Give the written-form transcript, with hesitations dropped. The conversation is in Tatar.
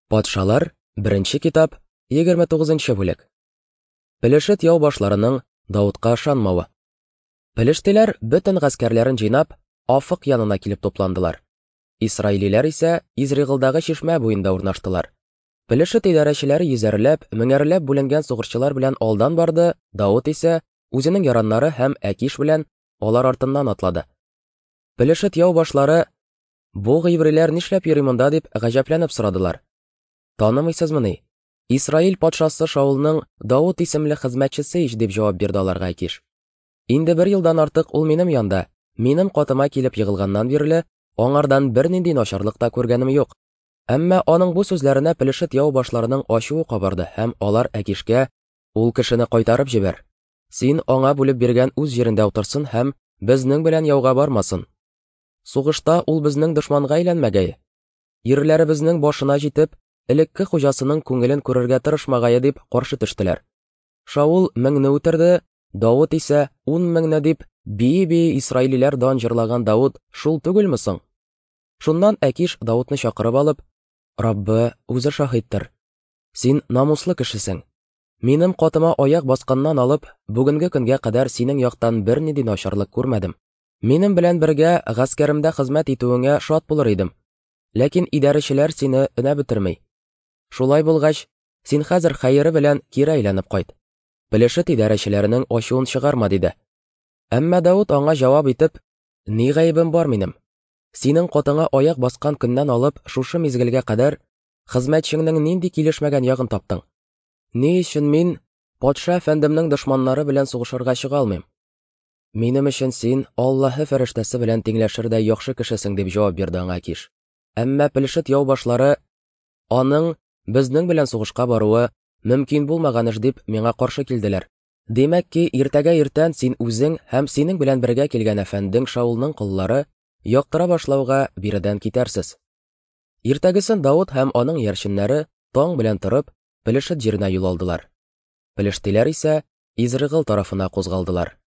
Патшалар, беренче китап, 29 бүлек. Пелешет яу башларының Даутка ышанмавы. Пелештиләр бөтен гаскәрләрен җыйнап, Афык янына килеп тупландылар. Исраилиләр исә Изригылдагы чишмә буенда урнаштылар. Пелешет идарәчеләре йөзәрләп, меңәрләп бүленгән сугышчылар белән алдан барды, Даут исә үзенең яраннары һәм Әкиш белән алар артыннан атлады. Пелешет яу башлары Бу гыйбриләр нишләп йөри монда дип гаҗәпләнеп сорадылар. Танымыйсызмыни? Исраил патшасы Шаулның Давыт исемле хезмәтчесе ич, дип җавап бирде аларга Акиш. Инде бер елдан артык ул минем янда, минем катыма килеп егылганнан бирле, аңардан бернинди начарлык та күргәнем юк. Әмма аның бу сүзләренә Пелешет яу башларының ачуы кабарды һәм алар Әкишкә, Ул кешене кайтарып җибәр. Син аңа бүлеп биргән үз җирендә утырсын һәм безнең белән яуга бармасын. Сугышта ул безнең дошманга әйләнмәгәе. Ирләребезнең башына җитеп, элекке хуҗасының күңелен күрергә тырышмагае дип каршы төштеләр. Шаул меңне үтерде, Давыт исә ун меңне дип, бии-бии исраилиләр дан җырлаган Давыт шул түгелме соң? Шуннан Әкиш Давытны чакырып алып, Раббы үзе шаһиттыр. Син намуслы кешесең. Минем катыма аяк басканнан алып, бүгенге көнгә кадәр синең яктан бернинди начарлык күрмәдем. Минем белән бергә гаскәремдә хезмәт итүеңә шат булыр идем. Ләкин идарәчеләр сине өнәп бетерми. Шулай булгач, син хәзер хәере белән кире әйләнеп кайт. Пелешет идарәчеләренең ачуын чыгарма, диде. Әмма Давыт аңа җавап итеп, Ни гаебем бар минем? Синең катыңа аяк баскан көннән алып шушы мизгелгә кадәр хезмәтчеңнең нинди килешмәгән ягын таптың? Ни өчен мин патша әфәндемнең дошманнары белән сугышырга чыга алмыйм? Минем өчен син Аллаһы фәрештәсе белән тиңләшердәй яхшы кешесең, дип җавап бирде аңа Киш. Әмма Пелешет яу башлары аның безнең белән сугышка баруы мөмкин булмаган эш дип миңа каршы килделәр. Димәк ки, иртәгә иртән син үзең һәм синең белән бергә килгән әфәндең Шаулның коллары яктыра башлауга биредән китәрсез. Иртәгесен Давыт һәм аның иярченнәре таң белән торып, Пелешет җиренә юл алдылар. Пелештиләр исә Изрыгыл тарафына кузгалдылар.